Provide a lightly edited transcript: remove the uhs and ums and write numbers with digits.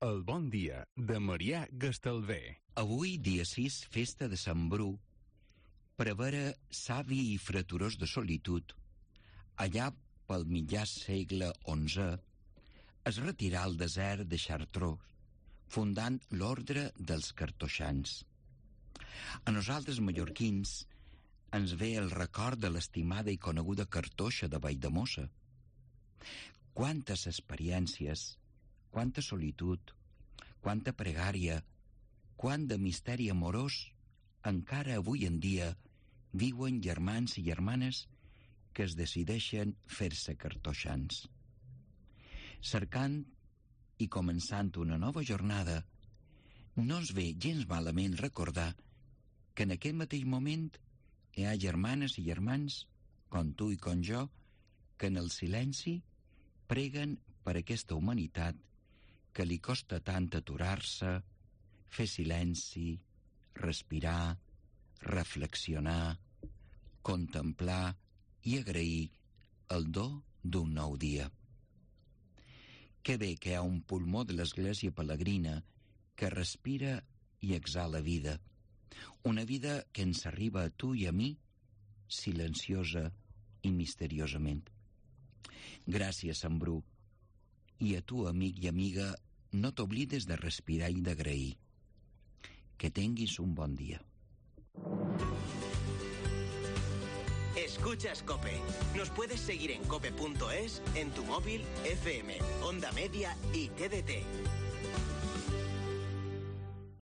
El bon dia de Marià Gastalver. Avui, dia 6, festa de Sant Bru, prevere savi i freturós de solitud, allà pel mitjà segle XI, es retirà al desert de Chartreux, fundant l'ordre dels cartoixans. A nosaltres, mallorquins, ens ve el record de l'estimada i coneguda cartoixa de Valldemossa. Quantes experiències, quanta solitud, quanta pregària, quant de misteri amorós encara avui en dia viuen germans i germanes que es decideixen fer-se cartoixans. Cercant i començant una nova jornada, no ens ve gens malament recordar que en aquest mateix moment hi ha germanes i germans, com tu i com jo, que en el silenci preguen per aquesta humanitat que li costa tant aturar-se, fer silenci, respirar, reflexionar, contemplar i agrair el do d'un nou dia. Que bé que hi ha un pulmó de l'Església Pelegrina que respira i exhala vida, una vida que ens arriba a tu i a mi, silenciosa i misteriosament. Gràcies, Sant Bru, i a tu, amic i amiga, no t'oblides de respirar i d'agrair. Que tinguis un bon dia. Escuchas COPE. Nos puedes seguir en cope.es, en tu móvil, FM, Onda Media y TDT.